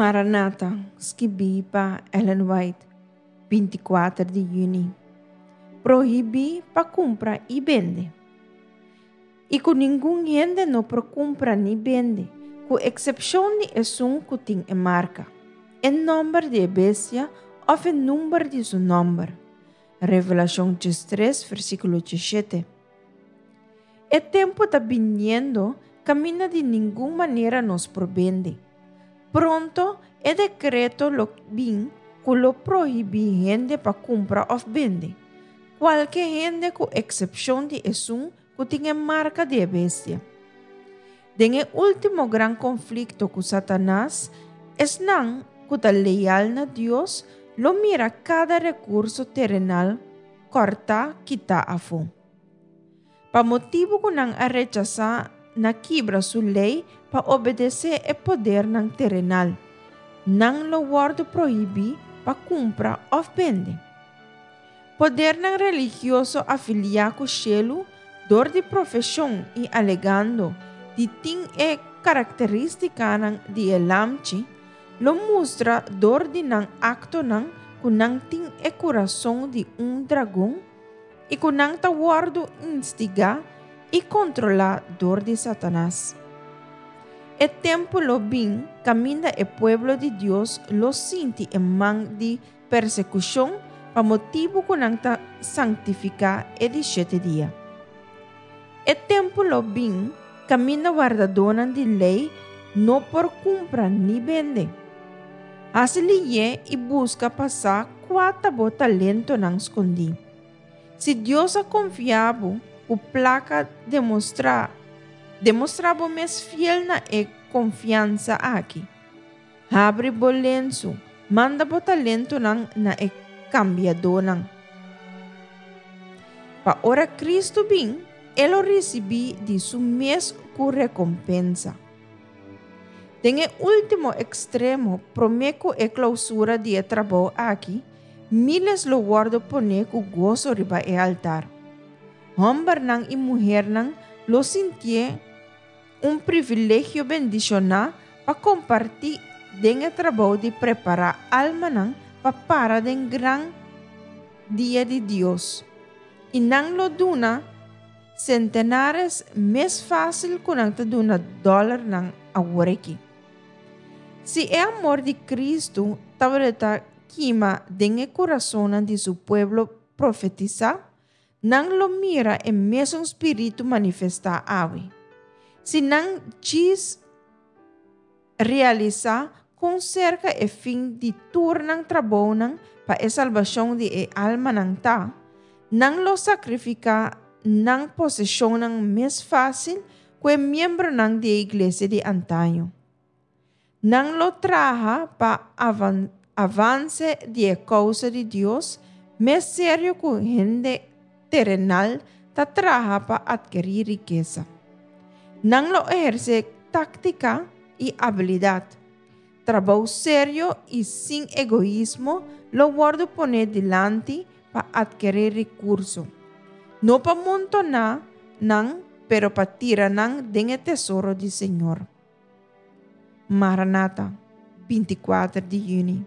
Maranata, skibí pa Ellen White, 24 di yüni. Prohibí pa kumpra i bende. I ku ningun hende no por kumpra ni bende, ku eksepshon di esun ku tin e marka, e nòmber di e bestia òf e number di su nòmber. Revelashon 13, versíkulo 17. E tempu ta biniendo kaminda di ningun manera nos por bende. Pronto e dekreto lo bin ku lo prohibí hende pa kumpra òf bende, kualke hende ku eksepshon di esun ku tin e marka di e bestia. Den e último gran konflikto ku Satanas, esnan ku ta leal na Dios lo mira kada rekurso terenal kòrtá kitá afó. Pa motibu ku nan a rechasá na kibra su lei pa obedesé e podernan terenal, nan lo wòrdu prohibí pa kumpra òf bende. Podernan religioso afiliá ku shelu dor di profeshon i alegando di tin e karakterístikanan di e Lamchi, lo mustra dor di nan aktonan ku nan tin e kurason di un dragon i ku nan ta wòrdu instigá i kontrolá dor di Satanas. E tempu lo bin kaminda e pueblo di Dios lo sinti e man di persekushon pa motibu ku nan ta sanktifiká e di shete dia. E tempu lo bin kaminda wardadónan di lei no por kumpra ni bende. Hasi liyé i buska pa sa kua ta bo talentonan skondí. Si Dios a konfia bo ku plaka demostrá demostrá bo mes fiel na e konfiansa aki. Habri bo lensu, manda bo talentonan na e kambiadónan. Pa ora Kristu bin, e lo risibí di su mes ku rekompensa. Den e último ekstremo, promé ku e klousura di e trabou aki, míles lo wòrdu poné ku goso riba e altar. Hòmbernan i muhernan lo sintié un privilegio bendishoná pa kompartí den e trabou di prepará almanan pa para den gran dia di Dios. I nan lo duna sentenares mes fásil ku nan ta duna dòlernan aworakí. Si e amor di Kristu tabata kima den e kurasonnan di su pueblo profetisá, nan lo mira e mesun spiritu manifestá awe. Si nan djis realisá kon serka e fin di tur nan trabounan pa e salbashon di e almanan ta, nan lo sakrifiká nan poseshonnan mes fásil ku e miembronan di e iglesia di antaño. Nan lo traha pa avanse di e kousa di Dios mes serio ku hende terenal ta traha pa atkerí rikesa. Nan lo ehersé táktika i abilidat. Trabou serio i sin egoismo lo wòrdu poné dilanti pa atkerí rekurso. No pa montoná nan, pero pa tira nan den e tesoro di Señor. Maranata, 24 di yüni.